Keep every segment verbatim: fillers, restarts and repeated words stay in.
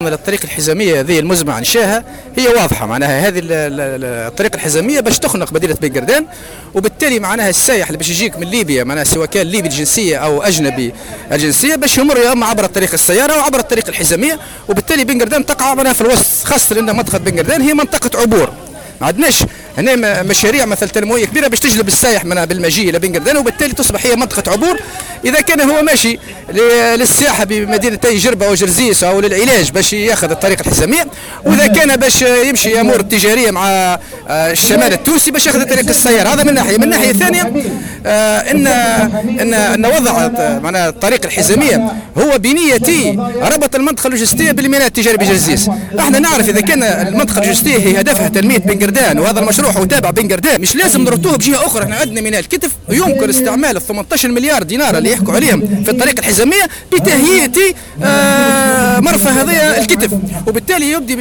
الطريق الحزاميه هذه المزمع انشاها هي واضحة، معناها هذه الطريق الحزاميه باش تخنق مدينة بن قردان، وبالتالي معناها السائح اللي باش يجيك من ليبيا معناها سواء كان ليبي الجنسية او اجنبي الجنسية باش يمر يا اما عبر الطريق السيارة او عبر الطريق الحزاميه، وبالتالي بن قردان تقع معناها في الوسط، خاصة لان منطقة بن قردان هي منطقة عبور. ما عندناش هنا مشاريع مثل تنموية كبيرة باش تجلب السائح منها بالمجيء الى بن قردان، وبالتالي تصبح هي منطقة عبور. اذا كان هو ماشي للسياحة بمدينتي جربه وجرزيس او للعلاج باش ياخذ الطريق الحزاميه، واذا كان باش يمشي امور التجارية مع الشمال التونسي باش ياخذ طريق السيار. هذا من ناحية. من ناحية ثانية ان ان ان وضع معناها الطريق الحزاميه هو بنيه ربط المنطقة اللوجستية بالميناء التجاري بجرزيس. احنا نعرف اذا كان المنطقة اللوجستية هي هدفها تنمية بن قردان، وهذا المشروع هو تابع بن قردان، مش لازم نربطوه بجهة اخرى. احنا عندنا ميناء الكتف، ويمكن استعمال ال ثمانية عشر مليار دينار اللي يحكوا عليهم في الطريق الحزاميه بتهيئه آه مرفأ هذا الكتف، وبالتالي يبدي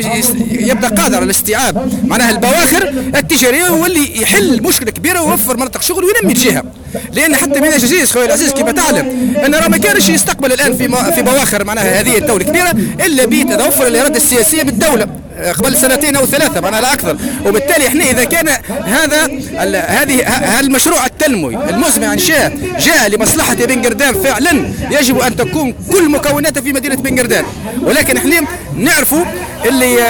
يبدا قادر على الاستيعاب معناها البواخر التجارية، واللي يحل مشكلة كبيرة ويوفر مناطق شغل وينمي الجهة. لان حتى ميناء جرزيس خويا العزيز كما تعلم ان راه ما كانش يستقبل الان في في بواخر معناها هذه الدولة الكبيرة الا بتوفر الارادة السياسية بالدولة قبل سنتين او ثلاثة معناها لا اكثر. وبالتالي احنا اذا كان هذا هذه المشروع التنموي المزمع انشاء جاء لمصلحة بن قردان فعلا، يجب ان تكون كل مكوناته في مدينة بن قردان. ولكن احنا نعرفوا اللي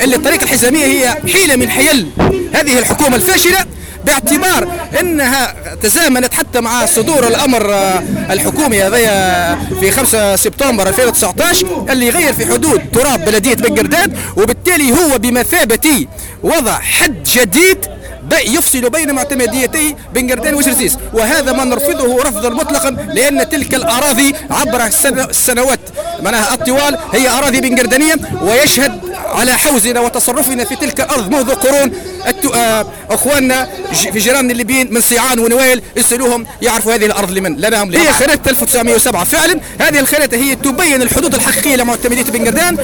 اللي الطريق الحزاميه هي حيله من حيل هذه الحكومة الفاشلة، باعتبار انها تزامنت حتى مع صدور الامر الحكومي هذا في خمسة سبتمبر ألفين وتسعة عشر اللي غير في حدود تراب بلديه بن قردان، وبالتالي هو بمثابة وضع حد جديد يفصل بين معتمديتي بن قردان وجرزيس، وهذا ما نرفضه رفضا مطلقا، لان تلك الاراضي عبر السنوات معناها الطوال هي اراضي بن قردانيه، ويشهد على حوزنا وتصرفنا في تلك الارض منذ قرون اخواننا في جيراننا الليبيين من صيعان ونويل، اسالوهم يعرفوا هذه الارض لمن لنا هم. هي خريطة ألف وتسعمئة وسبعة فعلا، هذه الخريطة هي تبين الحدود الحقيقية لمعتمديه بن قردان،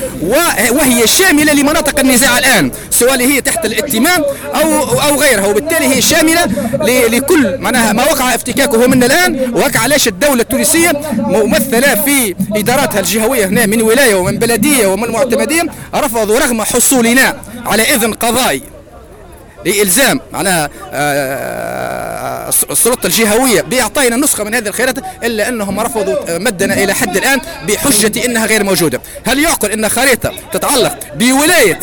وهي شاملة لمناطق النزاع الان سواء هي تحت الائتمان او او غيرها، وبالتالي هي شاملة لكل معناها ما وقع افتكاكه منا الان. وهكا علاش الدولة التونسية ممثلة في اداراتها الجهوية هنا من ولاية ومن بلديه ومن معتمديه رفضوا رغم حصولنا على اذن قضائي لإلزام معناها السلطة الجهوية بإعطائنا نسخة من هذه الخريطة، إلا أنهم رفضوا مدنا إلى حد الآن بحجة أنها غير موجودة. هل يعقل أن خريطة تتعلق بولاية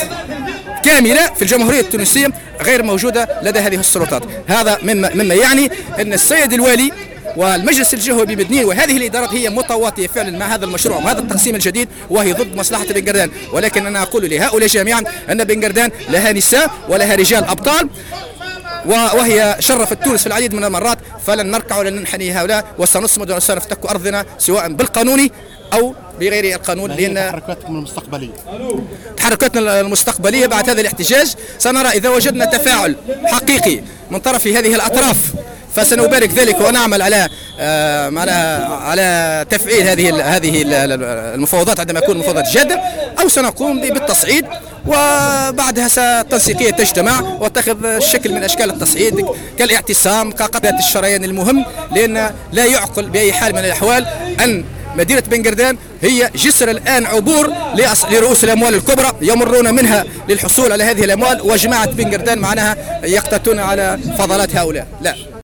كاملة في الجمهورية التونسية غير موجودة لدى هذه السلطات؟ هذا مما, مما يعني أن السيد الوالي والمجلس الجهوي بمدنين وهذه الادارات هي متواطئه فعلا مع هذا المشروع وهذا التقسيم الجديد، وهي ضد مصلحة بن قردان. ولكن انا اقول لهؤلاء جميعا ان بن قردان لها نساء ولها رجال ابطال، وهي شرفت تونس في العديد من المرات، فلن نركع ولن ننحني هؤلاء، وسنصمد وسنفتك ارضنا سواء بالقانوني او بغير القانون. لان تحركاتكم المستقبلية تحركاتنا المستقبلية بعد هذا الاحتجاج سنرى اذا وجدنا تفاعل حقيقي من طرف هذه الاطراف فسنبارك ذلك ونعمل على آه على على تفعيل هذه ال هذه ال المفاوضات عندما يكون مفاوضات جاده، او سنقوم بالتصعيد، وبعدها التنسيقيه تجتمع وتتخذ الشكل من اشكال التصعيد كالاعتصام كقطعه الشريان المهم. لان لا يعقل باي حال من الاحوال ان مدينة بن قردان هي جسر الآن عبور لرؤوس الأموال الكبرى يمرون منها للحصول على هذه الأموال، وجماعة بن قردان معناها يقتاتون على فضلات هؤلاء. لا.